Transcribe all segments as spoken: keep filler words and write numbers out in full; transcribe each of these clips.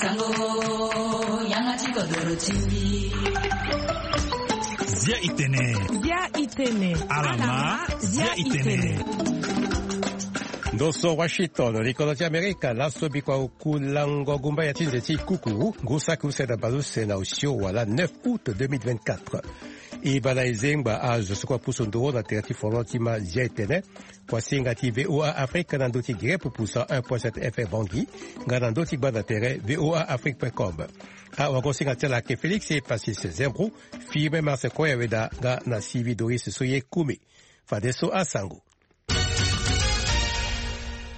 Sango, yanga ti kodoro ti mbi. Zia itene. Zia itene. Alama, zia itene. Ndo so Washington, likodro ti Amerika, laso bikua oku lango gumba ya ti nze ti kuku, ngu saki use na baleuse na osio wala neuf août deux mille vingt-quatre. E bala e zengba azo so kua pusu nduru na tere ti folon ti ma zia itene. Kuasinga ti V O A Afrique na ndö ti Guinée pupu cent un point sept F M Bangui, nga na ndö ti gbanda tere V O A Afrique point com. Awagosinga ti ala ayeke Félix Epasis Zembrou, Firmin Marse Koya Weda nga na Sylvie Doris Soye Kumi. Fadeso asango.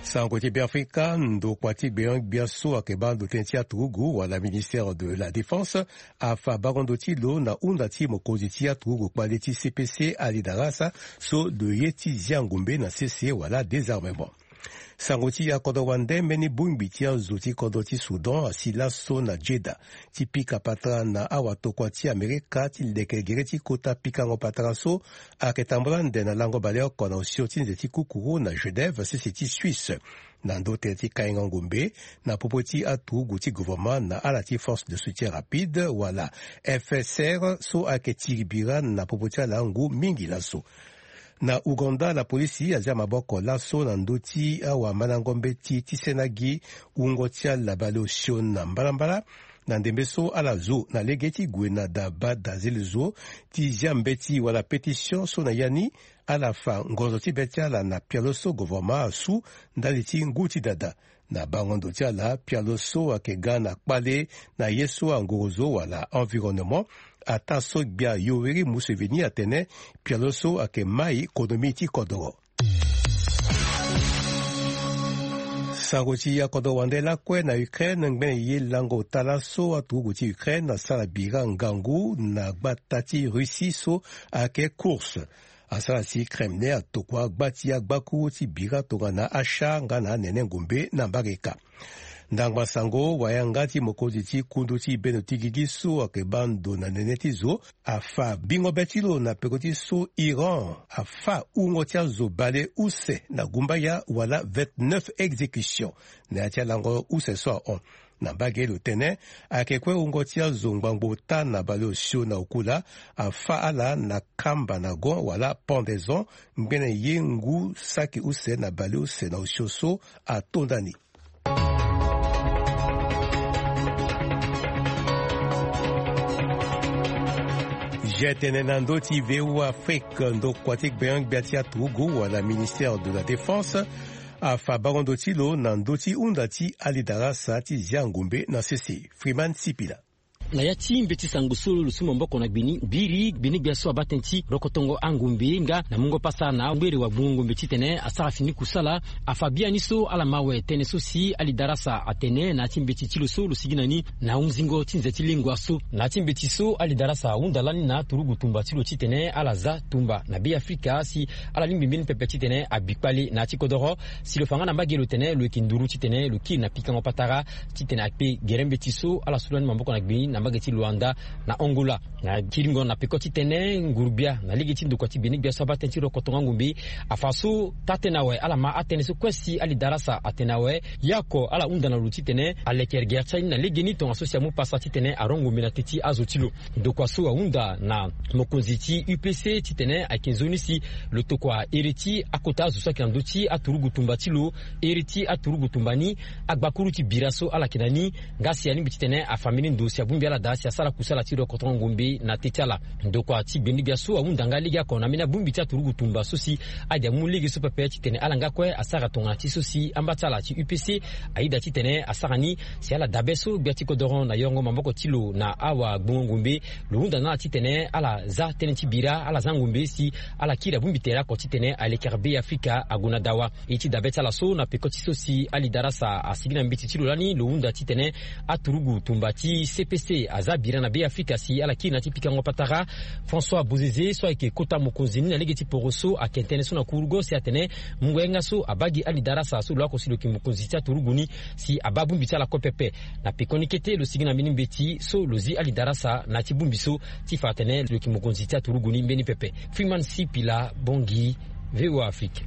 Sango ti Beafrika, ndokua ti gbenyo-gbia so ayeke baa ndo tënë ti aturugu wala ministère de la défense afa bango ndo ti lo na hunda ti mokonzi ti aturugu kpale ti C P C Ali Darasa so lo ye ti zia ngombe na sese wala désarmement. Sango ti akodro wande mbeni bongbi ti azo ti kodro ti Soudan asi laso na Jeddah ti pika patara na awatokua ti Amerika ti leke gere ti kota pikango patara so ayeke tambula ande na lango baleoko na osio ti nze ti kukuru na Genève sese ti Suisse. Na ndo tënë ti kainga ngombe na popo ti aturugu ti gouvernement na ala ti force de soutien rapide wala F S R so ayeke tiri bira na popo ti ala ngu mingi laso. Na Ouganda, lapolisi azia maboko laso na ndö ti awamandango mbeti ti sena gi wungo ti ala baleosio na mbalambala, na ndembe so ala zo na lege ti gue na daba dazele zo ti zia mbeti wala pétition so na ya ni ala fa ngonzo ti be ti ala na pialo so gouvernement asu ndali ti ngu ti dada. Na bango ndo ti ala, pialo so ayeke ga na kpale na ye so angorozo wala environnement, ataa so gbia Yoweri Museveni atene pialo so ayeke mai konomi ti kodoro. Sango ti akodro wande lakue na Ukraine, ngbene ye lango ota laso aturugu ti Ukraine asara bira ngangu na gbata ti Russie so ayeke Kursk. Asara si Kremlin atokua gba ti agbakuru ti bira tongana achar nga na anene ngombe na mbage ka. Ndangba sango, wayanga ti mokonzi ti kundu ti bendo ti gigi so ayeke baa ndo na nene ti zo afa bingo be ti lo na peko ti so Iran afa wungo ti azo bale use na gumbaya wala vingt-neuf exécution na ya ti alango use so ahon. Na mbage lo tene ayeke kue wungo ti azo ngbangbo ota na baleosio na okula afa ala na kamba na gon wala pendaison, ngbene ye ngu saki use na baleuse na osio so atonda ni. Zia tene na ndö ti V O A Afrique, ndokua ti gbenyo-gbia ti aturugu wala ministère de la défense afa bango ndo ti lo na ndö ti hunda ti Ali Darasa ti zia ngombe na sese. Freeman Sipila. Na ya ti mbeti sango so lo su maboko na gbeni biri gbeni-gbia so abaa tënë ti rokotongo angombe nga na mungo pasa na ngbere wagbungo ngombe titene asara fini kusala, afa biani so ala ma awe tënë so si Ali Darasa atene na ya ti mbeti ti lo so lo sigi na ni na hunzingo ti nze ti lengua so. Na ya ti mbeti so Ali Darasa ahunda lani na aturugu tumba ti lo titene ala za tumba na Be Afrika si ala lingbi mbeni pepe titene abi kpale na ya ti kodoro. Si lo fa nga na mbage lo tene lo yeke nduru titene lo kiri na pikango patara titene akpe gere mbeti so ala su lani maboko na gbeni na mbage ti Luanda na Angola. Na kiringo na peko titene nguru-gbia na lege ti ndokua ti gbeni-gbia so abaa tënë ti rokotongo angombe afa so taa-tënë awe ala ma atënë so kue si Ali Darasa atene awe. Ye oko ala hunda na lo titene aleke gere ti ani na legeni tongaso si amu pasa titene arongo ngombe na te ti azo ti lo. Ndokua so ahunda na mokonzi ti U P C titene ayeke nzoni si lo tokua here ti akota azo so ayeke na ndö ti aturugu tumba ti lo, here ti aturugu tumba ni, agbakuru ti bira so ala yeke na ni, nga si alingbi titene afa mbeni ndo si abongbi ala daa si asara kusala ti rokotongo angombe na te ti ala. Ndokua ti gbeni-gbia so ahunda nga legeoko na mbeni abongbi ti aturugu tumba so si ade amu lege so pepe titene ala nga kue asara tongana ti so si amba ti ala ti U P C ayeda titene asara ni, si ala dabe so gbia ti kodoro na yongo maboko ti lo na awagbongo ngombe. Lo hunda na ala titene ala za tënë ti bira, ala za ngombe si ala kiri abongbi tere oko titene alekere Be Afrika ague na dawa. E ti dabe ti ala so na peko ti so si Ali Darasa asigi na mbeti ti lo lani, lo hunda titene aturugu tumba ti C P C aza bira na Be Afrika si ala kiri na ya ti pikango patara. François Bozizé so ayeke kota mokonzi ni na lege ti poro so ayeke tene so na kurugo si atene mungo yanga so abaa gi Ali Darasa so lo oko si lo yeke mokonzi ti aturugu ni si abaa bongbi ti ala kue pepe. Na pekoni kete lo sigi na mbeni mbeti so lo zi Ali Darasa na ya ti bongbi so ti fa atene lo yeke mokonzi ti aturugu ni mbeni pepe. Freeman Sipila, Bangui, V O A Afrique.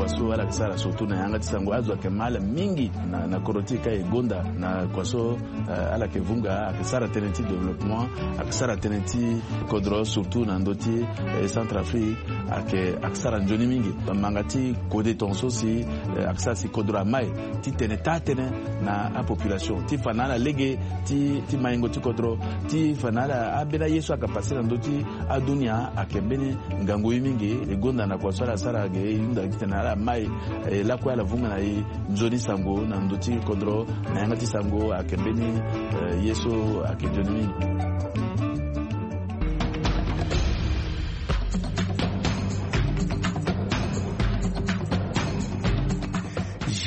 So ala yeke sara surtout na yanga ti sango, azo ayeke ma ala mingi na, na kodro ti e ka e gonda na kua so, eh, ala yeke vunga, ayeke sara tënë ti développement, ayeke sara tënë ti kodro surtout na ndö ti, eh, Centrafrique, ayeke, ayeke sara nzoni mingi. Manga ti kode tongaso si, eh, ayeke sara si kodro amai ti tene taa tënë na apopulation ti fa na ala lege ti, ti maingo ti kodro, ti fa na ala ambeni aye so ayeke pase na ndö ti adunia ayeke mbeni ngangu ye mingi. E gonda na kua so ala sara ge, e hunda titene ala mai, eh, lakue ala vunga na e nzoni sango na ndö ti kodro na yanga ti sango ayeke mbeni, eh, ye so ayeke nzoni mingi.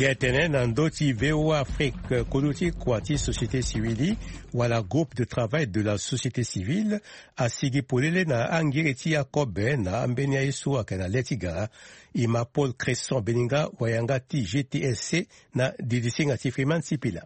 Ge tene na ndö ti V O A Afrique, kodro ti kua ti société civile wala groupe de travail de la société civile asigi polele na angere ti akobe na ambeni aye so ayeke na le ti gara. E ma Paul Cresson Beninga, wayanga ti G T S C, na didisinga ti Freeman Sipila.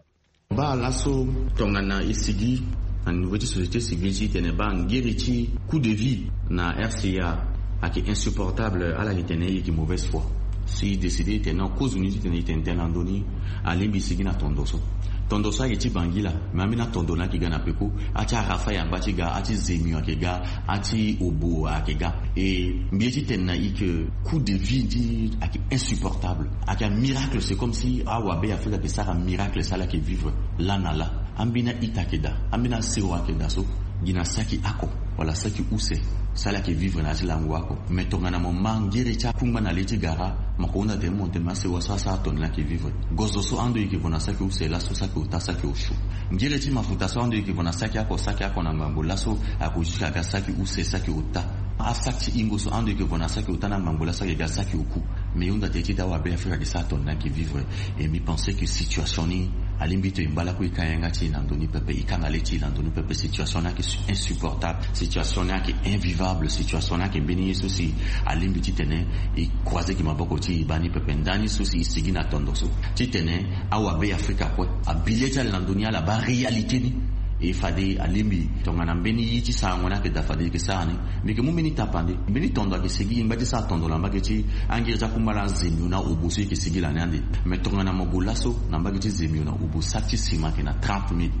Baa laso tongana e sigi na niveau ti société civile ti tene baa ngiri ti coût de vie na R C A ayeke insupportable, ala yeke tene e yeke mauvaise foi. Si e décide e tene non, kozoni ti tene e tene tënë na ndö ni, alingbi e sigi na tondo so. Tondo so ayeke ti bangila, me ambeni atondo ni ayeke ga na peko. Ati arafa yamba ti ga, ati zemio ayeke ga, ati obo ayeke ga. E mbi ye ti tene na e ke coût de vie ni ayeke insupportable. Ayeke amiracle, c'est comme si awabe Afrika ayeke sara miracle si ala yeke vivre laa na laa. Ambeni a-ita ayeke daa, ambeni asewa ayeke daa so, gi na saki oko wala saki use si ala yeke vivre na ya ti lango oko. Me tongana mo ma ngiri ti akungba na le ti gara, mo yeke hunda tene mo tene asewa so asara tongana ala yeke vivre. Gozo so ando e yeke vo na saki use laso, saki ota, saki osio. Ngiri ti mafuta so ando e yeke vo na saki oko, saki oko na ngbangbo laso, ayeke jusqu'à ga saki use, saki ota. Asaki ti hingo so ando e yeke vo na saki ota na ngbangbo laso ayeke ga saki oku. Me e hunda tene ti da awabe Afrika ayeke sara tongana ala yeke vivre. Et mbi pense que situation ni alingbi tongana e ngba lakue e ka yanga ti e na ndö ni pepe, e kanga le ti e na ndö ni pepe. Situation ni ayeke insupportable. Situation ni ayeke invivable. Situation ni ayeke mbeni ye so si alingbi titene e croiser gi maboko ti e baa ni pepe. Ndani so si e sigi na tondo so titene awabe Afrika kue, abi le ti ala na ndö ni, ala baa réalité ni. E fade alingbi tongana mbeni ye ti sarango ni ayeke daa, fade e yeke sara ni. Mbi yeke mu mbeni tapande, mbeni tondo ayeke sigi, e ngba ti sara tondo na mbage ti angiri ti akungba laa, azemio na obo so e yeke sigi lani ande. Me tongana mo gue laso na mbage ti zemio na obo, saki ti sima ayeke na trente mille,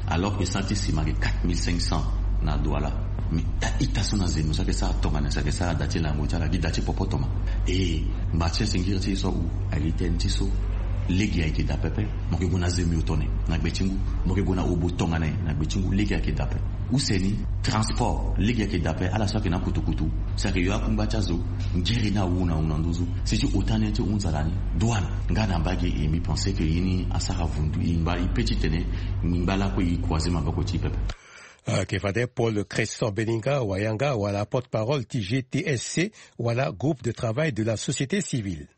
alors que saki ti sima ayeke quatre mille cinq cents na Douala. Me a-ita so na zemio so ayeke sara tongana si ayeke sara da ti lango ti ala gi da ti popo toma. E ngba ti asi ngiri ti e so awu, ali tënë ti so. Lege ayeke daa pepe. Mo yeke gue na zemio tone na gbe ti ngu, mo yeke gue na obo tongana nyen na gbe ti ngu, lege ayeke daa pepe. Use ni, transport, lege ayeke daa pepe. Ala so ayeke na kutukutu, si ayeke yo akungba ti azo, ngiri ni awu na awu na nduzu. Si ti ota ni ti hunza lani, douane, nga na mbage. E mbi pense que ye ni asara vundu. E ngba, e pe titene e ngba lakue e croiser maboko ti e pepe. Ayeke fade Paul Cresson Beninga, wayanga wala porte-parole ti G T S C, wala groupe de travail de la société civile.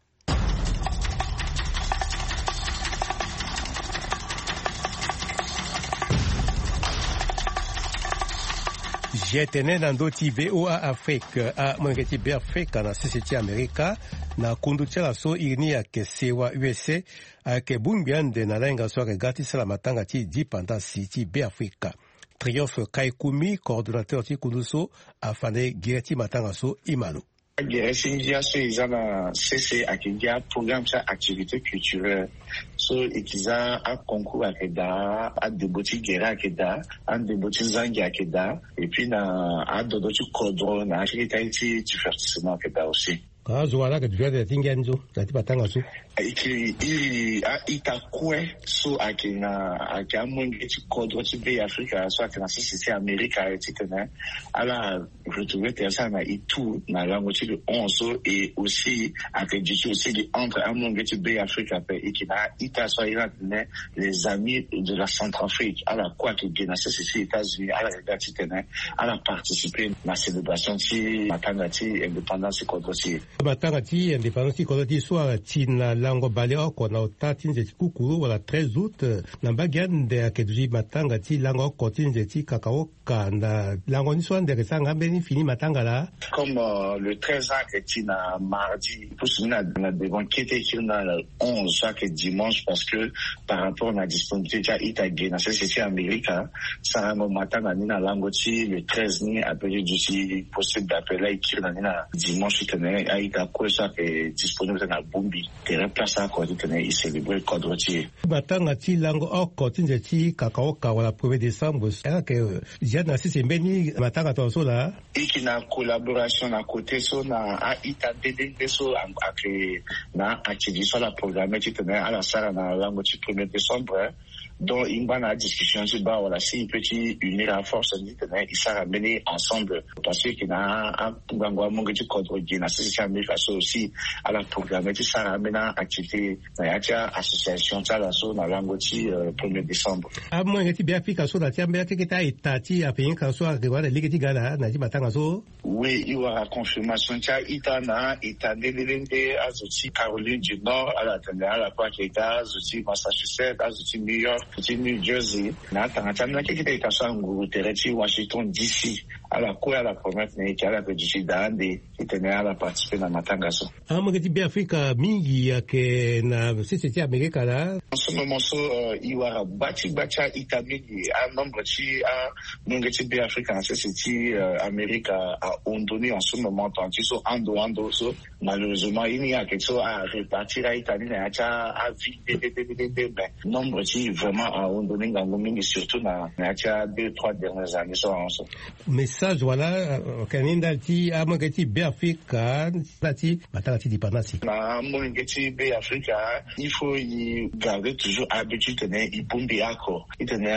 Ge tene na ndö ti V O A Afrique, amolenge ti Beafrika na sese ti Amerika, na kundu ti ala so iri ni ayeke sewa U S A, ayeke bongbi ande na lahinga so ayeke ga ti sara matanga ti dipandasi ti Beafrika. Triomphe Kaikumi, coordonnateur ti kundu so, afa na e gere ti matanga so. E ma lo. Agere ti ngia so e za na sese ayeke gi aprogramme ti activité culturelle. So e yeke za aconcours ayeke daa, andembo ti gere ayeke daa, andembo ti zangi ayeke daa, et puis na adodo ti kodro na akirita ye ti divertissement ayeke daa aussi. Azo wala ayeke divertir na ti ngia ni so na ti matanga so. E yeke iri a-ita kue so ayeke na, ayeke amolenge ti kodro ti Beafrika so ayeke na sese ti Amerika, titene ala retrouver tere ti ala na e tout na lango ti le onze so. Et aussi ayeke duti aussi gi entre amolenge ti Beafrika ape. E yeke na a-ita so airi atene les amis de la Centrafrique, ala kue ayeke ge na sese ti États-Unis, ala yeke ga titene ala participer na célébration ti matanga ti indépendance ti kodro ti e. Matanga ti indépendance ti kodro ti e so ala ti na lango bale oko na ota ti nze ti kukuru wala treize août. Na mbage ande ayeke duti matanga ti lango oko ti nze ti kakaoka. Na lango ni so ande ayeke sara nga mbeni fini matanga laa. Comme, euh, le treize ayeke ti na mardi, pusu ni na, na devant kete kiri na le onze so ayeke dimanche, parce que par rapport na disponibilité ti a-ita ge na sese ti Amerika, sarango matanga ni na lango ti le treize ni ape ti duti possible ape. Laa e kiri na ni na dimanche titene Ita kue so ayeke disponible na bongbi tere place oko titene e célébrer kodro ti e. Matanga ti lango oko ti nze ti kakaoka wala premier décembre ayeke zia na sese mbeni matanga tongaso laa. E yeke na collaboration na côté so na a-ita nde nde nde so ayeke na activité so ala programme titene ala sara na lango ti premier décembre. Donc e ngba na adiscussion ti baa wala si e peut ti unir aforce ni titene e sara mbeni ensemble. Parce que e yeke na angangu amonge ti kodro gi na sese ti Amerika so aussi ala programme ti sara ambeni activité na ya ti association ti ala so na lango ti premier décembre. Amolenge ti Beafrika so na ti ambeni akeke ti a-ita ti Afrika so ayeke wara na lege ti ga na ya ti matanga so. Oui, e wara confirmation ti a-ita na a-ita nde nde nde azo ti Caroline du Nord ala tene ala kue ayeke ga, azo ti Massachusetts, azo ti New York, ti New Jersey. Na atanga ti ambeni akeke ti a-ita so anguru tere ti Washington D C ala kue ala promettre na e ke ala yeke duti daa ande titene ala participer na matanga so. Amolenge ti Beafrika mingi ayeke na sese ti Amerika laa. En ce moment so e wara gba ti gba ti a-ita mingi. Anombre ti amolenge ti Beafrika na sese ti Amerika ahon ndoni en ce moment, tongana ti so ando ando so. Malheureusement ye ni ayeke so arépartir a-ita ni na ya ti aville nde nde nde nde nde. Mais nombre ti vraiment ahon ndoni ngangu mingi, surtout na ya ti a deux trois dernières années so ahon so. Message wala ayeke ni ndali ti amolenge ti Beafrika ndali ti matanga ti dipendance. Na amolenge ti Beafrika, il faut e garder toujours habitude titene e bongbi oko, titene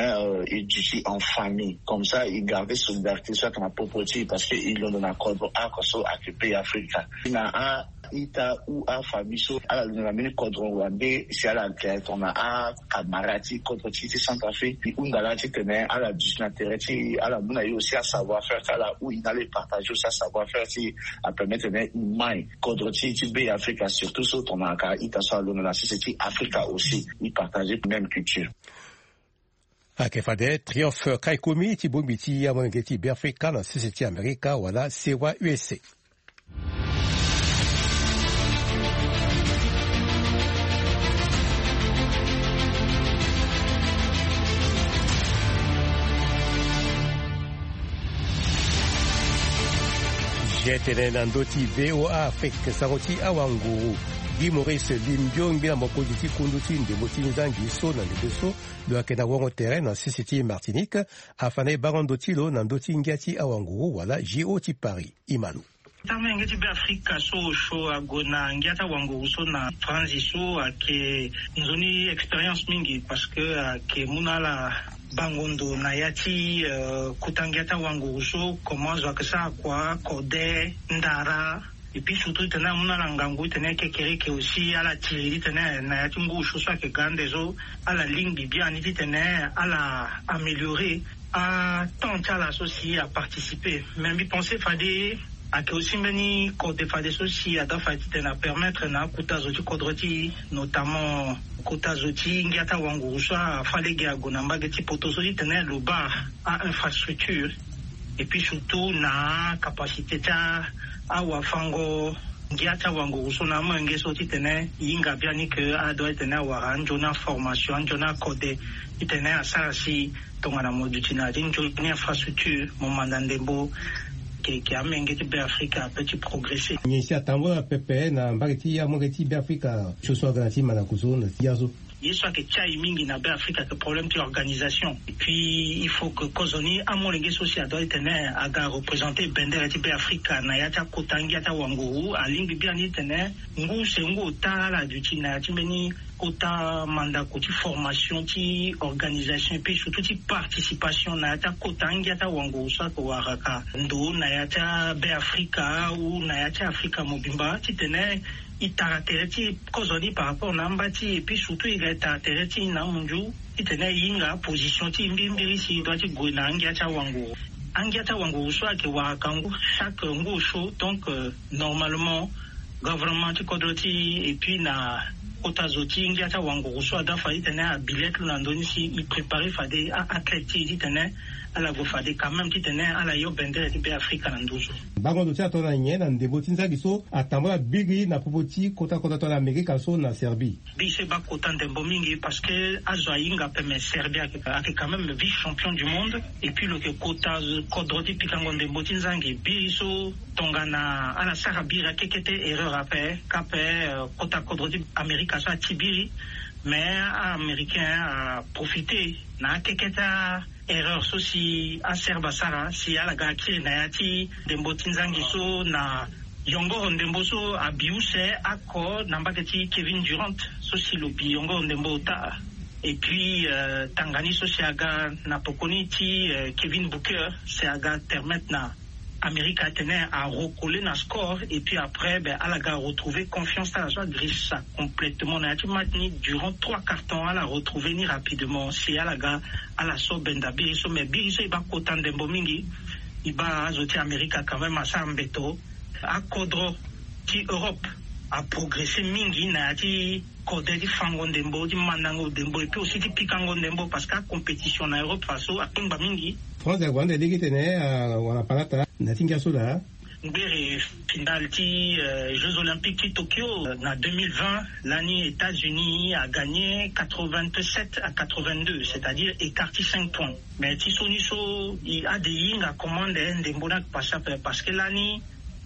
e duti en famille, comme ça e garder solidarité so ayeke na popo ti e, parce que e londo na kodro oko so ayeke Beafrika. Na a-ita ou afamille so ala londo na mbeni kodro wande si ala yeke tongana acamarade ti kodro ti e ti Centrafrique, e hunda laa titene ala duti na tere ti e, ala mu na e aussi asavoir faire ti ala ou e na ala e partager aussi asavoir faire ti e, apermettre titene e mai kodro ti e ti Beafrika, surtout so tongana ka a-ita so alondo na sese ti Afrika aussi e partager même culture. Ayeke fade Triomphe Kaikomi ti bongbi ti amolenge ti Beafrika na sese ti Amerika wala Sewa U S A. Ge tene na ndö ti V O A Afrique, sango ti awanguru Guy Maurice Limbio, ngbena mokonzi ti kundu ti ndembo ti nzangi so na ndembe so, lo yeke na wongo tere na sese ti Martinique, afa na e bango ndo ti lo na ndö ti ngia ti awanguru wala J O ti Paris. Imalo. Amolenge ti Beafrika so osio ague na ngia ti awanguru so na France so ayeke nzoni expérience mingi, parce que ayeke mu na ala bango ndo na ya ti kota ngia ti awanguru so, comment zo ayeke sara kua, kode, ndara. Et puis surtout titene amu na ala ngangu titene kekereke aussi ala tiri titene na ya ti ngu osio so ayeke ga ande so ala lingbi biani titene ala améliorer atemps ti ala so si aparticiper. Mais mbi pense fade ayeke aussi mbeni kode fade so si adoit fade titene apermettre na akota zo ti kodro ti e, notamment kota zo ti ngia ti awanguru so afa lege ague na mbage ti poto so titene lo baa a-infrastructure, et puis surtout na acapacité ti awafango ngia ti awanguru so na amolenge so titene e hinga biani ke adoit titene awara anzoni aformation, anzoni akode titene asara si tongana mo duti na ya ti nzoni infrastructure, mo manda ndembo, ke, ke amolenge ti Beafrika ape ti progresser. Nyen si atambula pepe na mbage ti amolenge ti Beafrika so so aga na ti mandaku so na ti ya so? Ye so ayeke ti aye mingi na Beafrika ayeke problème ti organisation. Et puis il faut que kozoni amolenge so si adoit titene aga représenter bendere ti Beafrika na ya ti akota ngia ti awanguru, alingbi biani titene ngu se ngu ota ala duti na ya ti mbeni kota mandako ti formation ti organisation et puis surtout ti participation na ya ti akota ngia ti awanguru so ayeke waraka ndo na ya ti aBeafrika ou na ya ti Afrika mobimba titene e tara tere ti e kozoni par rapport na amba ti e, et puis surtout e ga e tara tere ti e na amunzu titene e hinga position ti e mbirimbiri si e doit ti gue na angia ti awanguru. Angia ti awanguru so ayeke waraka ngu chaque ngu osio, donc normalement gouvernement ti kodro ti e et puis na kota zo ti ngia ti awanguru so adoit fade titene abi le ti lo na ndö ni si e préparer fade a-athlète ti e titene Ala gue fade quand même titene ala yo bendere ti Be Afrika na nduzu. Bango ndo ti atona nyen na ndembo ti nzangi so atambula biri na popo ti kota kota to na Amerika so na Serbie? Biri so e baa kota ndembo mingi parce que azo ahinga pe, mais Serbie ayeke quand même vice champion du monde. Et puis lo yeke kota kodro ti pikango ndembo ti nzangi. Biri so tongana ala sara biri akekete erreur ape kape kota kodro ti Amerika so ati biri. Mais a-Américain aprofite na akekete a-erreur so si a-Serbe asara si ala ga akiri na ya ti ndembo ti nzangi so na yongoro ndembo so abi use ako na mbage ti Kevin Durant so si lo bi yongoro ndembo ota. Et puis tanga ni so si aga na pokoni ti Kevin Booker si aga permettre na Amerika atene arecole na score et puis après ben ala ga retrouver confiance ti ala so agrisa complètement na ya ti match ni durant trois quarts temps. Ala retrouver ni rapidement si ala ga ala so benda biri so, mais biri so e baa kota ndembo mingi. E baa azo ti Amerika quand même asara mbeto. Akodro ti Europe aprogresse mingi na ya ti kode ti fango ndembo ti mandango ndembo et puis aussi ti pikango ndembo parce que acompétition na Europe faso akpengba mingi. France ague ande lege tene awara palata na ti ngia so laa. Ngbere finale ti Jeux Olympiques ti Tokyo na deux mille vingt lani États-Unis a gagné quatre-vingt-sept à quatre-vingt-deux, c'est-à-dire écart ti cinq points. Mais ti so ni so ade e hinga comment nde ndembo ni ake pase ape parce que lani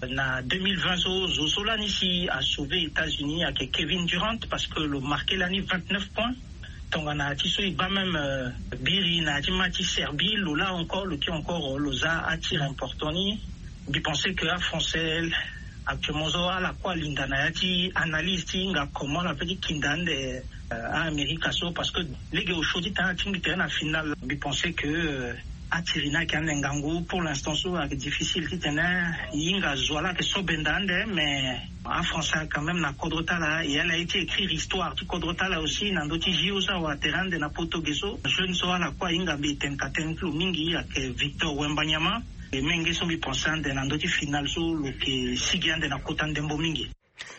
na deux mille vingt so zo so lani si a sauver États-Unis ayeke Kevin Durant parce que lo marqué lani vingt-neuf points. Tongana ti so e baa même biri na ya ti match ti Serbie lo laa encore lo kiri encore lo za atir important ni. Mbi pense que a-Français actuellement so ala kue alinda na ya ti analyse ti hinga comment ala pe ti kinda ande a-Amerika so parce que lege osio ti tene ala tingbi tere na finale. Mbi pense que atiri ni ayeke ande ngangu pour l'instant so ayeke difficile titene e hinga zo ala yeke so benda ande mais a-Français quand même na kodro ti ala e ala ye ti écrire histoire ti kodro ti ala aussi na ndö ti JO so awara tere ande na poto ge so. Jeune so ala kue ahinga mbi e tene ka tënë ti lo mingi ayeke Victor Wembanyama. E menge so mbi pense ande na ndö ti finale so lo yeke sigi ande na kota ndembo mingi.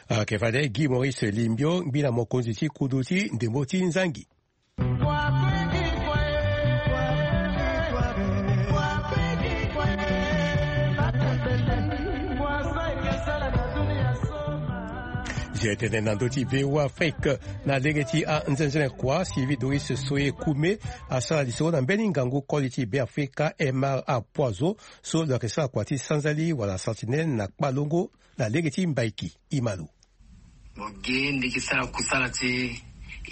Ayeke fade Guy Maurice Limbio ngbila mokonzi ti kudu ti ndembo ti nzangi. Zia tene na ndö ti VOA Afrique na lege ti anzenze na kua Sylvie Doris Soye Kume asara lisoro na mbeni ngangu koli ti Be Afrika Emar Apoizo so lo yeke sara kua ti sanzali wala sentinelle na kpalongo na lege ti mbaiki. Imalo. Mo gi mbi yeke sara kusala ti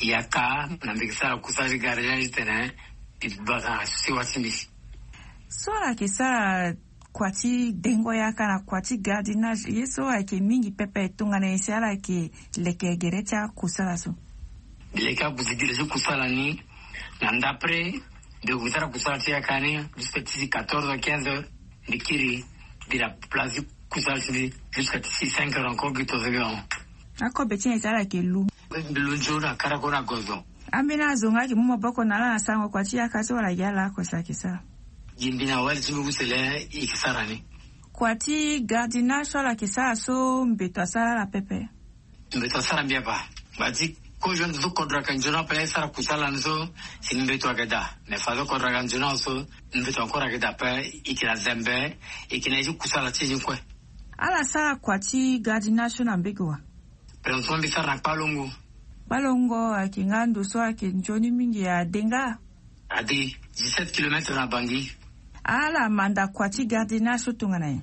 yaka na mbi yeke sara kusala ti gardien titene mbi bata na siwa ti mbi. So ala yeke sara kua ti dengo yaka na kua ti gardinage ye so ayeke mingi pepe tongana nyen si ala yeke leke gere ti akusala so? Mbi leke abuti gere ti kusala ni na ndapre. Mbi gue sara kusala ti yaka ni jusque ti quatorze heures, quinze heures. Mbi kiri mbi na place ti kusala ti mbi jusque ti cinq heures encore gi tonze heures. Akobe ti nyen si ala yeke lu? Mbi lu nzoni na karako na gozo. Ambeni azo nga ayeke mu maboko na ala na sarango kua ti yaka so wala gi ala oko si ayeke sara? Gi mbi na wali ti mbi use le e yeke sara ni. Kua ti gardinage so ala yeke sara so mbeto asara ala pepe? Mbeto asara mbi apa. Ngba ti kozo ande so kodro ayeke nzoni ape e sara kusala ni so si mbeto ayeke daa. Mais fadeso kodro ayeke nzoni awe so mbeto encore ayeke daa ape. E yeke na zembe e yeke na ye ti kusala ti e ni kue. Ala sara kua ti gardinage so na mbege wa? Présentement mbi sara na kpalongo. Kpalongo ayeke nga ndo so ayeke nzoni mingi ade nga? Ade dix-sept kilomètres na Bangui. Ala manda kua ti gardinage so tongana nyen?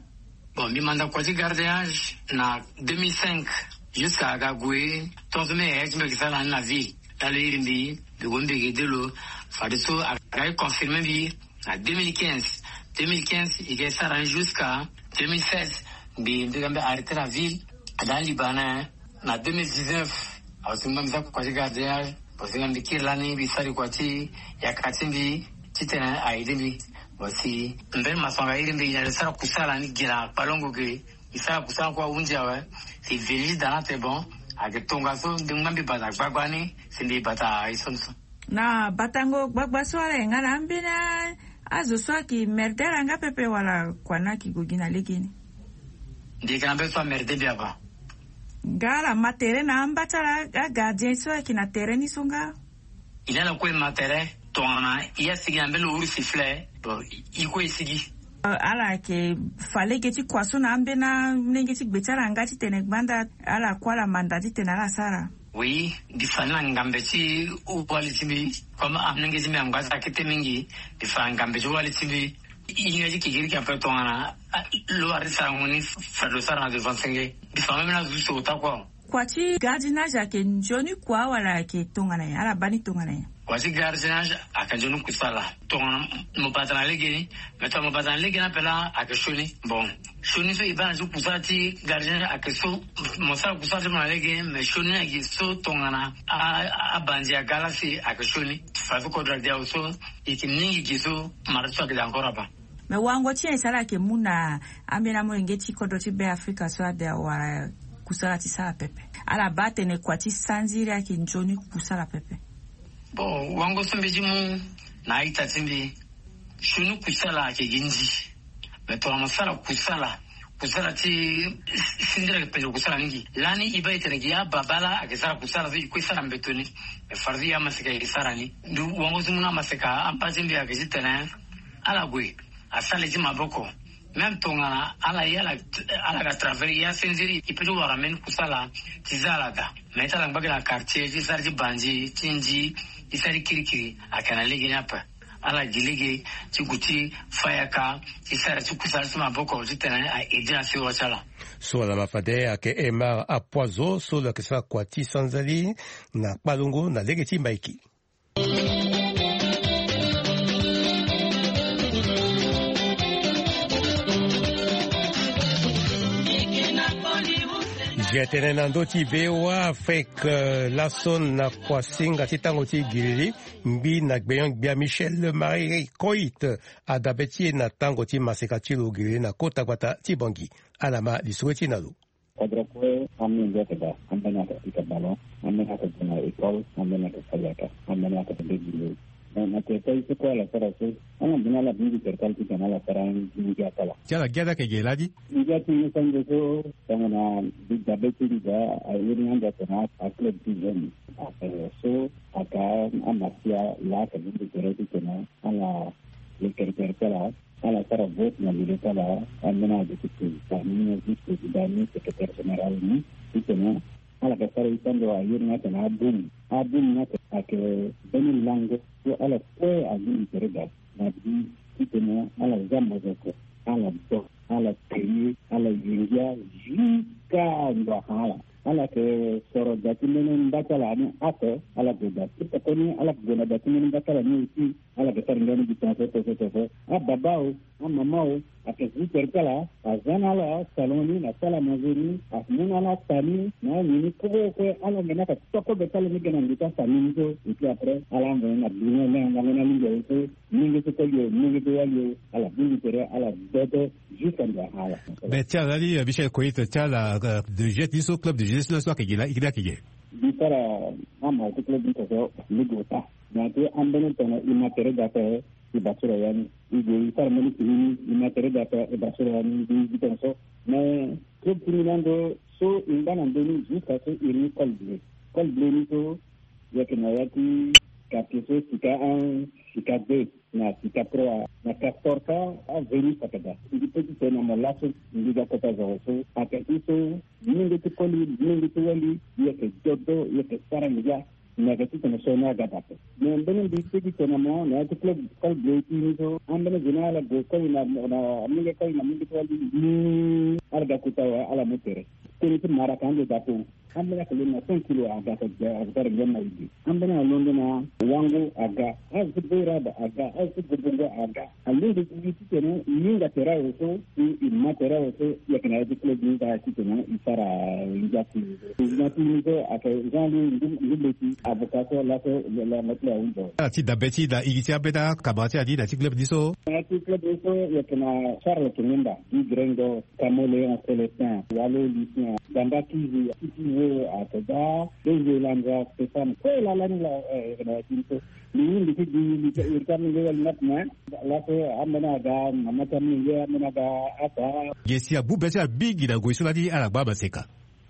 Bon, mbi manda kua ti gardinage na deux mille cinq jusqu'à aga gue tongaso mbi yeke sara ni na ville. Talo iri mbi mbi gue mbi yeke de lo. Fadeso aga e confirmer mbi na deux mille quinze. Deux mille quinze e yeke sara ni jusqu'à deux mille seize. Mbi mbi ga mbi arrêter na ville. Ada liba na na deux mille dix-neuf. Awe si mbi sara kua ti gardinage. Bon si mbi kiri lani mbi sara kua ti yaka ti mbi titene a aide mbi. Bon si mbeni masanga iri mbi na sara kusala ni gi na kpalongo ge. Mbi sara kusala kue ahunzi awe. Si village dana te bon. Ayeke tongaso mbi ngba mbi bata gbagba ni si mbi bata aye so ni so. Na batango gbagba so ala yeke nga na ambeni azo so ayeke merde ala nga pepe wala kua ni ayeke gue gi na legeni? Mbi yeke na mbeni so amerde mbi apa. Nga ala ma tere na amba ti ala agardien so ayeke na tere ni so nga? E na ala kue e ma tere. Tongana i ya sigi na mbeni lo uru sifle, bon, i kue i sigi. Ala yeke fa lege ti kua so na ambeni amolenge ti gbe ti ala nga titene gbanda ala kue ala manda titene ala sara. Oui, mbi fa ni na ngambe ti wali ti mbi. Comme amolenge ti mbi angba ti akete mingi, mbi fa na ngambe ti wali ti mbi. I hinga ti kekiriki ape tongana lo wara ti sarango ni, fade lo sara na devant senge. Mbi fa même na zo ti so ota kua. Kua ti gardiennage ayeke nzoni kua wala ayeke tongana nyen? Ala baa ni tongana nyen? Kua ti gardiennage ayeke nzoni kusala. Tongana mo bata na lege ni, mais tongana mo bata na lege ni ape laa ayeke sioni. Bon, sioni so e baa na ti kusala ti gardiennage ayeke so, mo sara kusala ti mo na lege ni, mais sioni ni ayeke so tongana a, a, abanzi aga laa si ayeke sioni. Fa so kodro ade awe so, e yeke mingi ge so mara ti so ayeke daa encore abaa. Mais wango ti nyen e sara ayeke mu na ambeni amolenge ti kodro ti Be Afrika so ade awara kusala ti sara pepe? Ala baa atene kua ti sanziri ayeke nzoni kusala pepe. Bon, wango so mbi ti mu na a-ita ti mbi, sioni kusala ayeke gi ndi. Mais tongana mo sara kusala, kusala ti sindiri ayeke pete kusala mingi. Lani e baa e tene gi ababâ laa ayeke sara kusala so e kue sara mbeto ni. Mais fade so e amaseka e sara ni. Ndu wango so mu na amaseka amba ti mbi ayeke titene ala gue asara li ti maboko. Même tongana ala ye ala, ala ga travail ya senziri, e peut ti wara mbeni kusala ti za ala daa. Mais ti ala ngba gi na quartier ti sara ti banzi ti ndi, ti sara ti kirikiri ayeke na lege ni ape. Ala gi lege ti gue ti fa yaka ti sara ti kusala ti maboko titene a aider na siriri ti ala. So ala ma fade ayeke Aymar Apoizo so lo yeke sara kua ti sanzali na kpalongo na lege ti Maiki. Ge tene na ndö ti V O A Afrique, eh, laso na kuasinga ti tango ti giriri, ngbi na gbenyo-gbia Michel Marie Coit adabe ti e na tango ti maseka ti lo giriri na kota gbata ti Bangui. Ala ma lisoro ti e na lo. Kodro kue amolenge ayeke daa, ambeni ayeke pika ballon, ambeni ayeke gue na école, ambeni ayeke fa yaka, ambeni ayeke fa be gilo. Na, na tere ti aye so kue ala sara so, ala mbeni ala bongbi tere ti ala titene ala sara ngia ti ala. Ti ala ngia ti ala ayeke ge lani? Ngia ti mbi so ande so, tongana mbi dabe ti mbi daa, a iri ni ande atene aclub ti jeune. Eh, so aka amasia laa ayeke bongbi tere titene ala le tere tere ti ala. Ala sara vote na lilo ti ala, ambeni ala duti président ni, vice président ni, secrétaire général ni, titene ala ga sara ye ti ando aye ni atene abum. Abum ni ayeke mbeni lango so ala kue alingbi tere daa na bi titene ala za mozoko, ala do, ala te ye, ala ye ngia jusqu'à ndo afa ala. Ala yeke soro da ti mbeni mba ti ala ni ape, ala gue da ti koko ni, ala gue na da ti mbeni mba ti ala ni aussi. Ala yeke sara ngia ni gi tongaso tongaso tongaso. Ababa o, amama o, ayeke zi tere ti ala, aza na ala salon ni na sala manger ni, amu na ala ata ni na anyen ni kue kue. Ala ngbene ayeke to kobe ti ala ni ge na ngu ti afamille ni so. Et puis après ala angbene na bi ni na lango ni alingbi aye so, molenge so koli o, molenge so wali o, ala bongbi tere, ala dodo jusqu'à ndo afa ala. Mais ti ala ni, eh, Michel Coit, ti ala, eh, de jeunesse ni so, club de jeunesse ni so ayeke ge laa, iri ni ayeke ge? Mbi sara amawa ti club ni so so, mbi gue ota. Na ya ti ambeni tongana e ma tere daa ape, e baa sara ya ni. E gue e sara mbeni fini ni, e ma tere daa ape, e baa sara ya ni, mbi gi tongaso. Mais club ti mbi ni ande so e ngba na ndö ni jusqu'à so e iri ni Col Bleu. Col Bleu ni so, e yeke na ya ti quartier so Sika un, Sika deux, na Sika trois, na Castor ka, a Venus ayeke daa. Mbi peut ti tene na mo laso, mbi ga kota zo so, ayeke i so, molenge ti koli, molenge ti wali, e yeke dodo, e yeke sara ngia. Mbi yeke titene so ni aga daa ape. Me mbeni mbi titene mo na ya ti club, Col Bleu ti ni so, ambeni zo ni ala gue koli na, na molenge koli na molenge ti wali ni, ala ga kota awe, ala mu tere. Tënë ti mara ayeke ande daa ape. Ambeni ayeke londo na cinq kilos aga, aga sara ngia na e ge. Ambeni alondo na wango aga, azo ti Boiraba aga, azo ti Gobongo aga. Alingbi gi titene e hinga tere awe so, e, e ma tere awe so, e yeke na ya ti club ni daa titene e sara ngia ti e. Président ti ni so ayeke Jean Louis Ngu-, Ngumbeti, avocat so laso, la, la, la, la, la. Ala ti dabe ti da igi ti ambeni akamara ti ala ni na ya ti club ni so. Na ya ti club ni so, e yeke na Charles Kinimba, ti Gringo, Camoléon Célestin, Walo Lucien, Damba Kizi, Titi Wo, Ateda, Benzo Elandra, Stéphane, kue lala ni la, eh, na ya ti ni so. Mbi hinga ti gi, mbi ti, mbi ti amolenge wali ni ape, mais laso ambeni aga, mama ti amolenge, ambeni aga ata. Ge si agbu be ti ala mingi na ngoi so lani ala ngba maseka.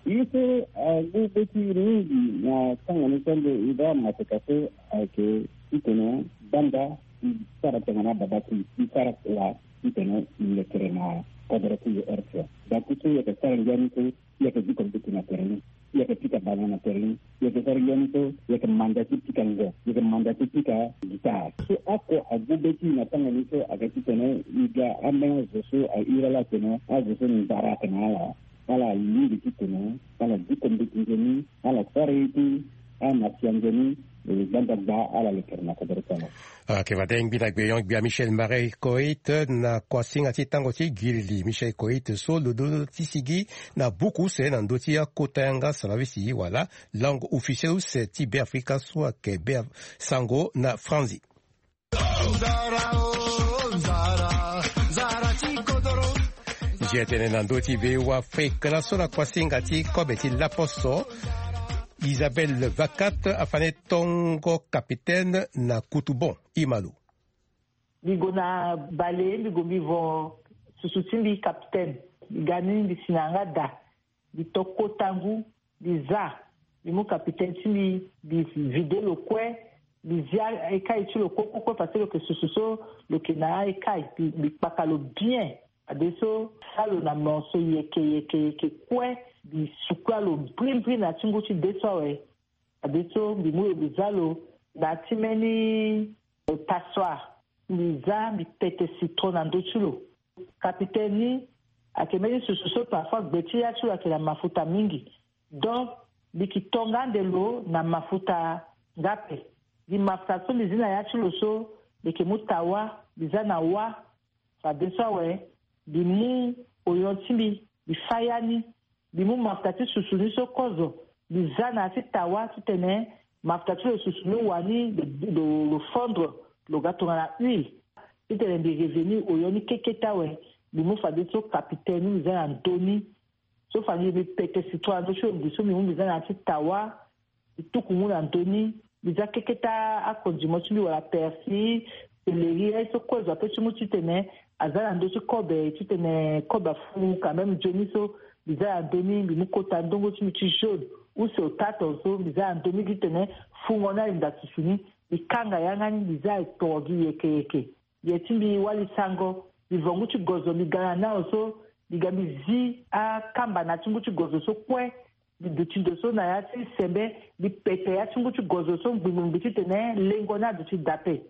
Ye so agbu be ti e mingi na tanga ni so ande e baa maseka so ayeke titene Banda i sara tongana ababa ti i sara kua titene i lekere na kodoro ti i. Rtl. Daku so i yeke sara ngia ni so, i yeke diko mbeti na tere ni, i yeke pika bana na tere ni, i yeke sara ngia ni so, i yeke manda ti pika ngo, i yeke manda ti pika gitare. So oko agu be ti i na tanga ni so ayeke titene i ga ambeni azo so ahiri ala atene azo so ndara ayeke na ala. Ala alingbi titene ala diko mbeti nzoni, ala sara ye ti ala na sia nzoni. E gbanda gba ala lekere na kodoro ti ala. Ayeke fade ngbi na gbenyon-gbia Michel Marie Koit na kuasinga ti tango ti gili. Michel Koit so lo duti sigi na buku use na ndö ti akota yanga salavisi wala langue officielle use ti Beafrika so ayeke Beaf-, Sango na Franzi. Nzia tene na ndö ti V O A Afrique laso na kuasinga ti kobe ti laposo, Isabelle Vacat afa ni tongo capitaine na Kutubon. Imalo. Mbi gue na bale, mbi gue mbi vo susu ti mbi capitaine. Mbi ga ni, mbi si na yanga da. Mbi to kota ngu, mbi za, mbi mu capitaine ti mbi, mbi vide lo kue, mbi zia ekai ti lo kue kue kue, parce que lo yeke susu so lo yeke na aekai, mbi, mbi kpaka lo bien. Fadeso sa lo na morceau yeke yeke yeke kue, mbi sukula lo mbri mbri na ya ti ngu ti de so awe. Fadeso mbi mu lo mbi za lo na ya ti mbeni passoire. Mbi za, mbi pete citron na ndö ti lo. Capitaine ni ayeke mbeni susu so parfois gbe ti ya ti lo ayeke na mafuta mingi. Donc mbi yeke to nga ande lo na mafuta nga ape. Gi mafuta so mbi zi na ya ti lo so, mbi yeke mu tawa, mbi za na wa. Fadeso awe, mbi mu oyon ti mbi, mbi fa ya ni. Mbi mu mafuta ti susu ni so kozo, mbi za na ya ti tawa titene mafuta ti lo susu ni wani, lo, lo, lo fondre, lo ga tongana huile. Titene mbi revenir oyon ni kekete awe, mbi mu fadeso capitaine ni, mbi za na ndö ni. So fade mbi pete citron na ndö ti lo, mbi so mbi mu mbi za na ya ti tawa, mbi tuku mu na ndö ni, mbi za kekete acondiment ti mbi wala persil, céleri, aye so kue zo ape ti mu titene aza na ndö ti kobe, titene kobe afu quand même nzoni so, mbi za na ndö ni, mbi mu kota ndongo ti mbi ti jaune, use otato so, mbi za na ndö ni titene fungo ni alinda susu ni, mbi kanga yanga ni, mbi za etoro gi yeke yeke. Ye ti mbi wali sango, mbi vo ngu ti gozo, mbi ga na nao so, mbi ga mbi zi akamba na ya ti ngu ti gozo so kue, mbi duti ndo so na ya ti sembe, mbi pete ya ti ngu ti gozo so ngbingbingbi titene lengo ni aduti daa ape.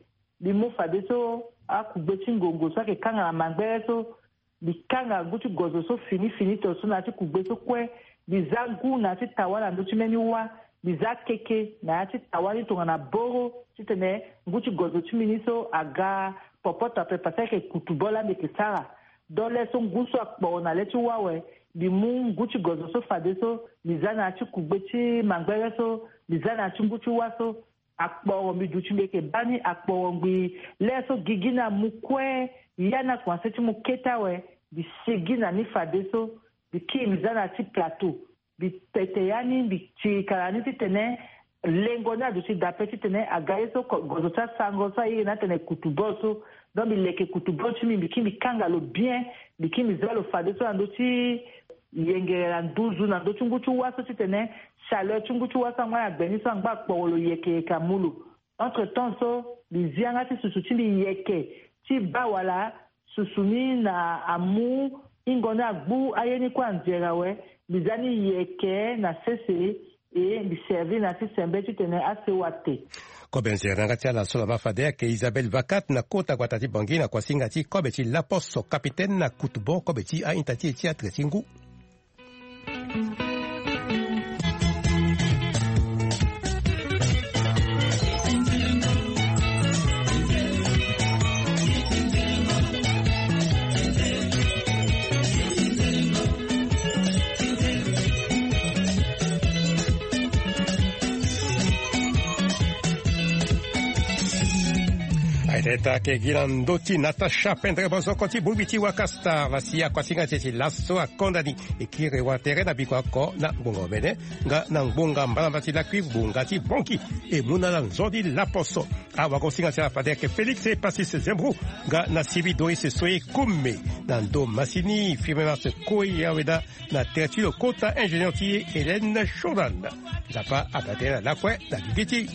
Mbi mu fadeso akugbe ti ngongo so ayeke kanga na mangbere so, mbi kanga ngu ti gozo so fini fini to so na ya ti kugbe so kue, mbi za ngu na ya ti tawa na ndö ti mbeni wâ, mbi za keke na ya ti tawa ni tongana boro, titene ngu ti gozo ti mbi ni so aga popoto ape, parce que ayeke kutu bo laa mbi yeke sara. Donc le so ngu so akporo na le ti wâ awe, mbi mu ngu ti gozo so fadeso, mbi za na ya ti kugbe ti mangbere so, mbi za na ya ti ngu ti wâ so, akporo mbi duti mbi yeke baa ni akporo ngbii. Lê so gigi ni amu kue, ya ni akomanse ti mu kete awe, mbi sigi na ni fadeso, mbi kiri mbi za na ya ti plateau, mbi pete ya ni, mbi tirika na ni titene lengo ni aduti daa ape titene aga ye so ko-, gozo ti asango so airi ni atene kutu bol so. Donc mbi leke kutu bol ti mbi, mbi kiri mbi kanga lo bien, mbi kiri mbi za lo fadeso na ndö ti yengere na nduzu na ndö ti ngu ti wâ so titene chaleur ti ngu ti wâ so angba na gbe ni so angba akporo lo yeke yeke amu lo. Entre temps so, mbi zi yanga ti susu ti mbi yeke ti baa wala susu ni na amu hingo ni agbu aye ni kue anzere awe, mbi za ni yeke na sese, e mbi servir na ya ti sembe titene asewa te. Kobe nzere na yanga ti ala so laba fade ayeke Isabelle Vacat na kota gbata ti Bangui na kuasinga ti kobe ti laposo capitaine na kutu bon kobe ti a-ita ti e ti atre ti ngu. Aye tene taa ayeke gi na ndö ti Natacha Pendre Bozoko ti bongbi ti Waka Star. Vasi akuasinga ti e ti laso akonda ni. E kiri wa tere na biko oko na ngbonga omene nga na ngbonga mbalambala ti lakui ngbonga ti Bangui. E mu na ala nzoni laposo. Awagosinga ti ala fade ayeke Félix Epasis Zembrou nga na Sibi Doris Soye Koume. Na ndo masini Firmin Mars Koya Weda. Na tere ti lo kota ingénieur ti e Hélène Jordan. Nzapa aga tënë na lakue na gigi ti.